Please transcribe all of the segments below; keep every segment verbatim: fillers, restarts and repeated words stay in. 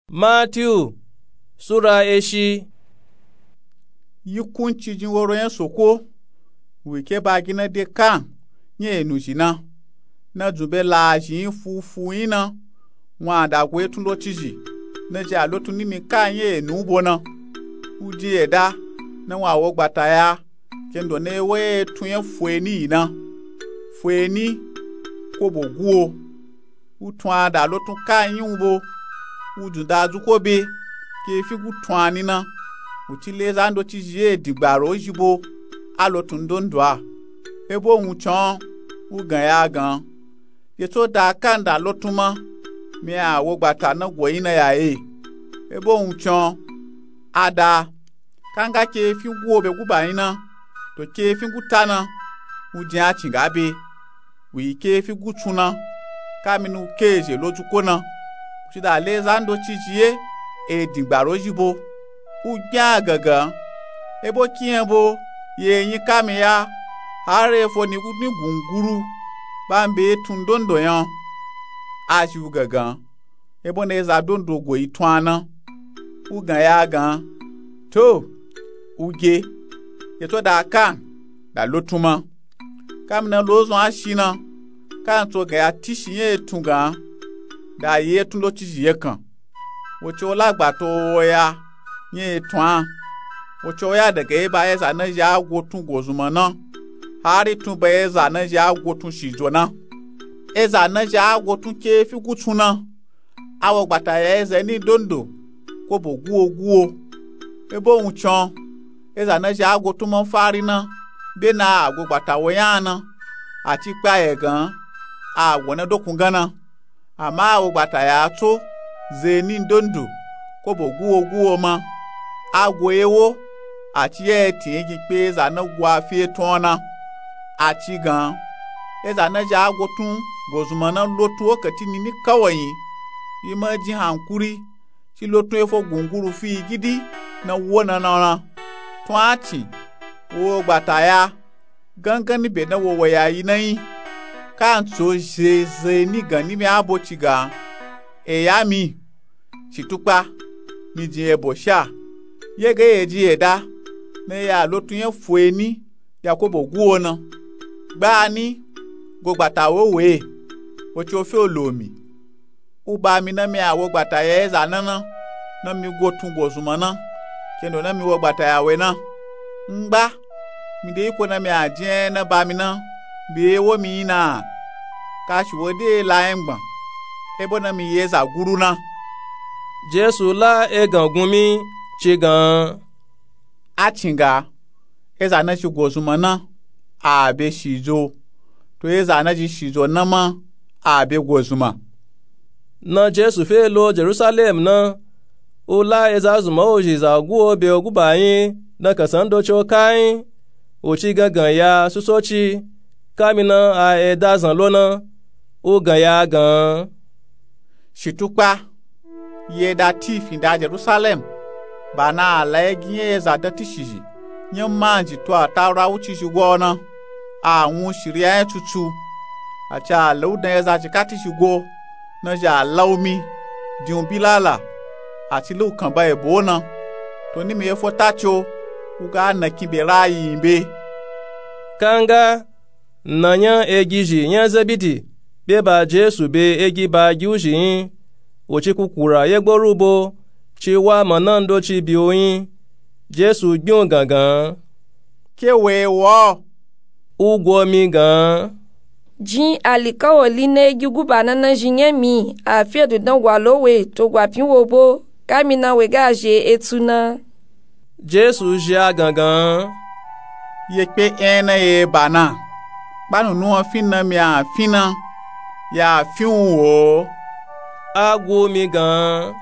Matiyu sura eshi. Yi kunci jin woro nya soko wi ke ba gina de kan nya enu zhi na, na dzun be la zhi yin fufu yin na. Wun a da go etun lotsi zhi na zhi a lotun nimi kan nya enu bo na. Wu di eda na wun a wo gbata ya kendo na ewo etun nya fueni yi na, fueni kobo guwo. Wu tun a da lotun kan yin wu bo, wu dzun da dzuko be ke fi gu tun a ni na. Wu ci le za ndotsi zhi ye digbaro zhi bo a lotun ndondo a. Ebo wun con wu gan ya gan, ye tso da kan da lotun ma mi a wo gbata na go yin na ya ye. Ebo wun con a da kanga ke fi guwo be guba yin na, to ke fi guta na wu jin a cin ga be. Wi ke fi gutsun na kamini wu ke ezhe lo dzuko na. Wu ci da le za ndotsi zhi ye e digbaro zhi bo, wu gbian a gangan. Ebo kiyan bo ye yin kami ya, hari efo ni gu ni gunguru ba mbe etun ndondo nya a zhi wu gangan. Ebo na eza ndondo go yi tun a na. Wu gan ya gan, to, wu ge, ye tso da kan da lotun ma. Kamina lo zun a shi na, kan tso gan ya tishi nya etun gan da yi etun lotsi zhi ye kan. Wo ci wo la gbato wo ya nya etun a. Wo ci wo ya daga eba eza na zhi a gotun gozunma na, hari tun ba eza na zhi a gotun shijo na. Eza na zhi a gotun ke fi gutsun na a wo gbata ya eza ni ndondo kobo guwo guwo. Ebo wun con eza na zhi a gotun ma fari na be na a go gbata wo nya na, a ci kpa ye gan a go na dokun gan na. Ama a wo gbata ya tso ze ni ndondo kobo guwo guwo ma. A go ye wo a ci ya ye tin ye gin kpe eza na go a fi etun o na. A ci gan eza na zhi a gotun gozunma na lotun wo kati nini kawayi yi ma jin hankuri ci lotun efo gunguru fi yi gidi na wo na na na. Tun a cin wo gbata ya gangan ni be na wo wa ya yi na yin. Kan tso ze ze ni gan ni mi a bo ci gan, e ya mi ci tukpa mi jin ebo sha ye ga ye ji ye da na ya lotun nya fueni ya kobo guwo na. Gba ni go gbata wo we, wo ci wo fi olo mi. Wu ba mi na mi a wo gbata ya eza na na, na mi gotun gozunma na kendo na mi wo gbata ya we na. Ngba mi de iko na mi a jin enya na ba mi na be ewo mi yin na. Kashi wo de la nya ngban ebo na mi yi eza guru na. Jesu la egan gun mi ci gan, a cin ga eza na zhi gozunma na a be shijo, to eza na zhi shijo na ma a be gozunma. Na Jesu fe lo Jerusalem na, wu la eza zunma wo zhi za guwo be guba yin na kansan ndotsi o kayin. Wu ci gangan ya susoci kamina a eda zan lo na, wu gan ya gan, shi tukpa yi eda ti fin da Jerusalem, ba na a la ye gi nya eza dan tishi zhi nya manji to a taura wuci zhi gwa o na. A wun shiriya nya tutu, a ci a la wu dan eza zhi kati zhi gwa o na zhi a la wu mi din wu bilala, a ci la wu kan ba ebo o na. To ni mi ye fo ta ci o wu ga na kin be ra yi yin be. Kanga na nya egizhi nya Zebidi be ba Jesu be egi ba gi wu zhi yin, wu ci kukura ye gboru bo ci wa mana ndotsi bi wu yin. Jesu gbin wu gangan, ke we wo? Wu gwo mi gan, jin alikawali na egi guba na na zhi nya mi a fi edun dan gwa lo we to gwa pin wo bo kamina we ga zhi etu na. Jesu zhi a gangan, ye kpe enya na ye ba na, kpa nunu a fin na mi a fin na, ya fin wu wo? A gwu mi gan,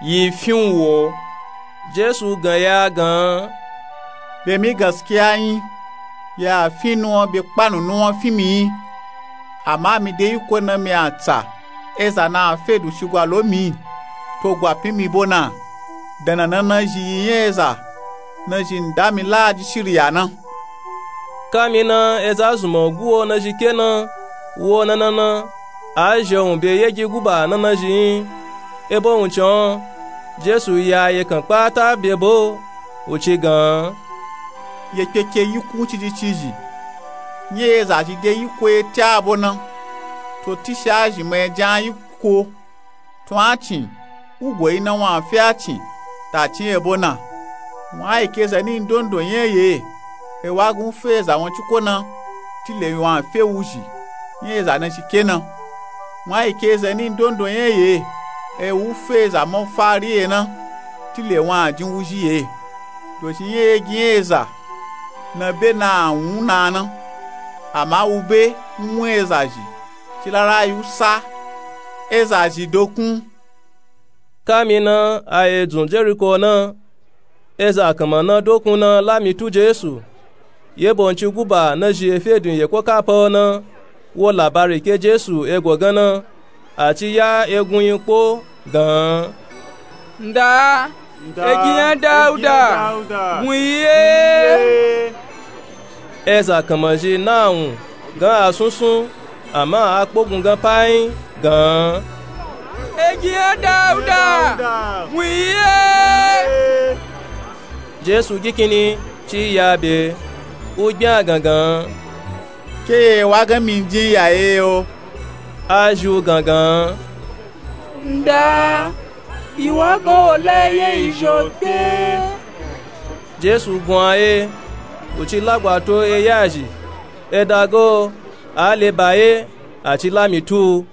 yi fin wu wo? Jesu gan ya gan, be mi gaskiya yin, ya fin nuwan be kpa nunu a fin mi yin. Ama mi de iko na mi a tsa eza na a fe du shigwa lo mi to gwa pin mi bo na. Dan na na na zhi yi nya eza na zhi nda mi la a ji shiriya na. Kamina eza zunma gwu wo na zhi ke na wo na na na, a zhi wun be yegi guba na na zhi yin. Ebo wuncin jesu ya ye kan kpata bebo wuci gan, ye kpeke yikun ciji ciji nye ye za zhi de yiko ye te abo na. To tishi a zhi ma ye jan yiko tun a cin wugo yi na wun a fe a cin ta cin ebo na. Wun a yi ke zani ndondo nya ye e wa gan wu fe eza wun ciko na tile wun a fe wuzhi nya eza na shi ke na. Wun a yi ke zani ndondo nya ye e wu fe eza ma fari ye na tile wun a jin wuzhi ye. Dozhi nya ye gi nya eza na be na a wun na na ama wu be wun eza zhi ci lala yi wu sa eza zhi dokun. Kami na a ye dzun jeriko na eza kanma na dokun na lami tu jesu. Yebo nci guba na zhi efedun yeko kapa o na wo labari ke jesu ego gan na a ci ya egun yi kpo gan, nda, egi nya dauda, wun yi ye. Eza kanma zhi na wun gan a sunsun ama a kpogun gan payin gan, egi nya dauda, wun yi ye. Jesu gikini ci ya be wu gbin a gangan, ke ye wa gan mi jin ya ye o. A zhi wu gangan, nda, yi wa gan wo la ye yi zhi o kpe. Jesu gun a ye wu ci lagwa to eye a zhi e da go a le ba ye a ci lami tu u.